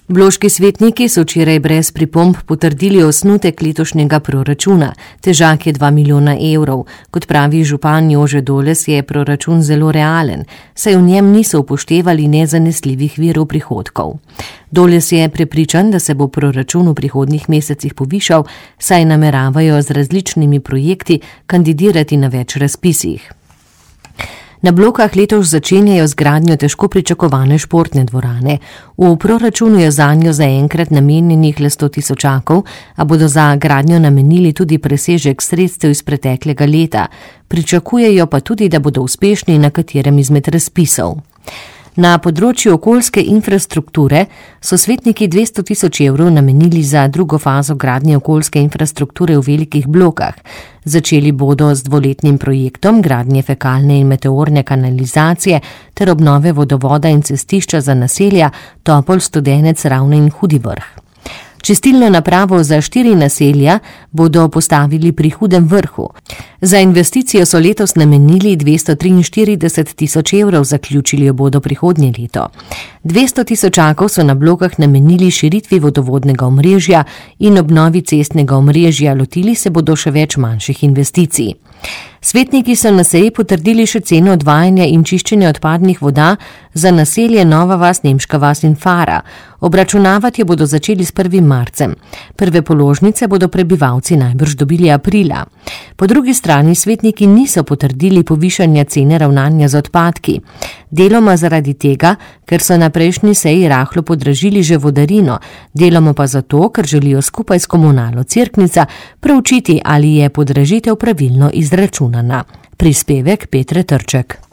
Bloški svetniki so včeraj brez pripomb potrdili osnutek letošnjega proračuna. Težak je 2 milijona evrov. Kot pravi župan Jože Doles, je proračun zelo realen, saj v njem niso upoštevali nezanesljivih virov prihodkov. Doles je prepričan, da se bo proračun v prihodnjih mesecih povišal, saj nameravajo z različnimi projekti kandidirati na več razpisih. Na Blokah letos začenjajo z gradnjo težko pričakovane športne dvorane. V proračunu je zanjo zaenkrat namenjenih le 100 tisočakov, a bodo za gradnjo namenili tudi presežek sredstev iz preteklega leta. Pričakujejo pa tudi, da bodo uspešni na katerem izmed razpisov. Na področju okoljske infrastrukture so svetniki 200 tisoč evrov namenili za drugo fazo gradnje okoljske infrastrukture v velikih blokah. Začeli bodo z 2-letnim projektom gradnje fekalne in meteorne kanalizacije ter obnove vodovoda in cestišča za naselja Topolj, Studenec, Ravne in Hudi Vrh. Čistilno napravo za 4 naselja bodo postavili pri Hudem Vrhu. Za investicijo so letos namenili 243 tisoč evrov, zaključili jo bodo prihodnje leto. 200 tisočakov so na Blokah namenili širitvi vodovodnega omrežja in obnovi cestnega omrežja, lotili se bodo še več manjših investicij. Svetniki so na seji potrdili še ceno odvajanja in čiščenja odpadnih voda za naselje Nova vas, Nemška vas in Fara. Obračunavati jo bodo začeli s 1. marcem. Prve položnice bodo prebivalci najbrž dobili aprila. Po drugi strani svetniki niso potrdili povišanja cene ravnanja z odpadki. Deloma zaradi tega, ker so na prejšnji seji rahlo podražili že vodarino, deloma pa zato, ker želijo skupaj s komunalo Cerknica preučiti, ali je podražitev pravilno izračunana. Prispevek Petre Trček.